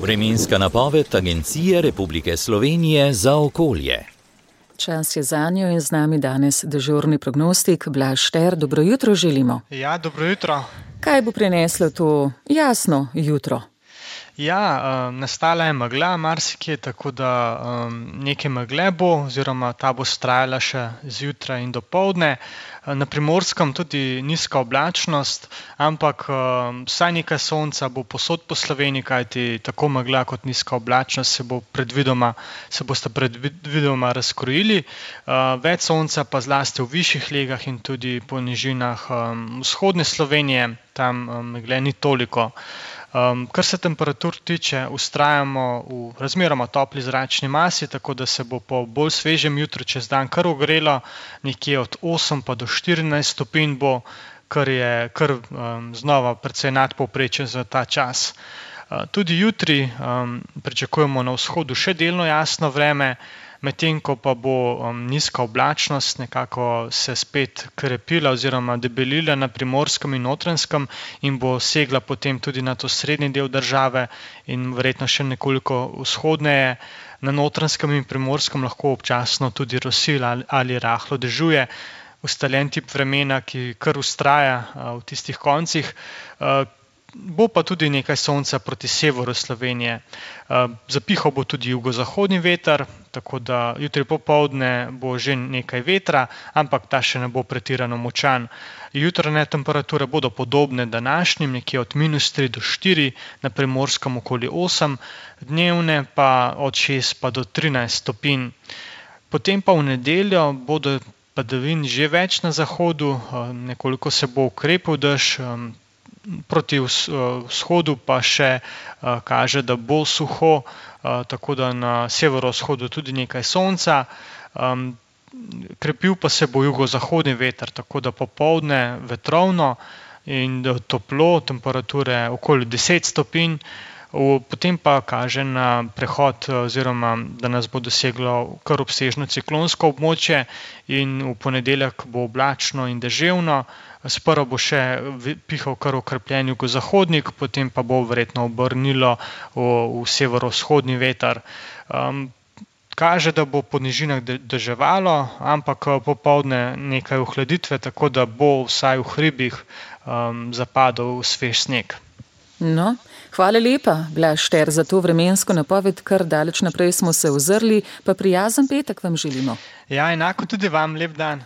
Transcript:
Vremenska napoved Agencije Republike Slovenije za okolje. Čas je zanjo in z nami danes dežurni prognostik Blaž Šter. Dobro jutro želimo. Ja, dobro jutro. Kaj bo prineslo to jasno jutro? Ja, nastala je megla marsikje, tako da nekaj megle bo, oziroma ta bo vztrajala še zjutraj in dopoldne. Na Primorskem tudi nizka oblačnost, ampak vsaj nekaj sonca bo povsod po Sloveniji, kajti tako megla kot nizka oblačnost se bosta predvidoma razkrojili. Več sonca pa zlasti v višjih legah in tudi po nižinah vzhodne Slovenije, tam megle ni toliko. Kar se temperatur tiče, vztrajamo v razmeroma topli zračni masi, tako da se bo po bolj svežem jutru čez dan kar ogrelo, nekje od 8 pa do 14 stopinj bo, kar je znova precej nadpovprečje za ta čas. Tudi jutri pričakujemo na vzhodu še delno jasno vreme, medtem ko pa bo nizka oblačnost nekako se spet krepila oziroma debelila na Primorskem in Notranjskem in bo segla potem tudi na to srednji del države in verjetno še nekoliko vzhodneje. Na Notranjskem in Primorskem lahko občasno tudi rosi ali rahlo dežuje. Ustaljen tip vremena, ki kar vztraja v tistih koncih. Bo pa tudi nekaj sonca proti severu Slovenije. Zapihal bo tudi jugozahodni veter, tako da jutri popoldne bo že nekaj vetra, ampak ta še ne bo pretirano močan. Jutranje temperature bodo podobne današnjim, nekje od -3 do 4, na Primorskem okoli 8, dnevne pa od 6 pa do 13 stopinj. Potem pa v nedeljo bodo padavin že več na zahodu, nekoliko se bo ukrepil dež, proti vzhodu pa še kaže, da bo suho, tako da na severovzhodu tudi nekaj sonca. Krepil pa se bo jugozahodni veter, tako da popoldne vetrovno in toplo, temperature okoli 10 stopinj. Potem pa kaže na prehod oziroma, da nas bo doseglo kar obsežno ciklonsko območje in v ponedeljek bo oblačno in deževno. Sprva bo še pihal kar okrepljen jugozahodnik, potem pa bo verjetno obrnilo v severovzhodni veter. Kaže, da bo po nižinah deževalo, ampak popoldne nekaj ohladitve, tako da bo vsaj v hribih zapadal svež sneg. No, hvala lepa, Blaž Šter, za to vremensko napoved, kar daleč naprej smo se ozrli, pa prijazen petek vam želimo. Ja, enako tudi vam, lep dan.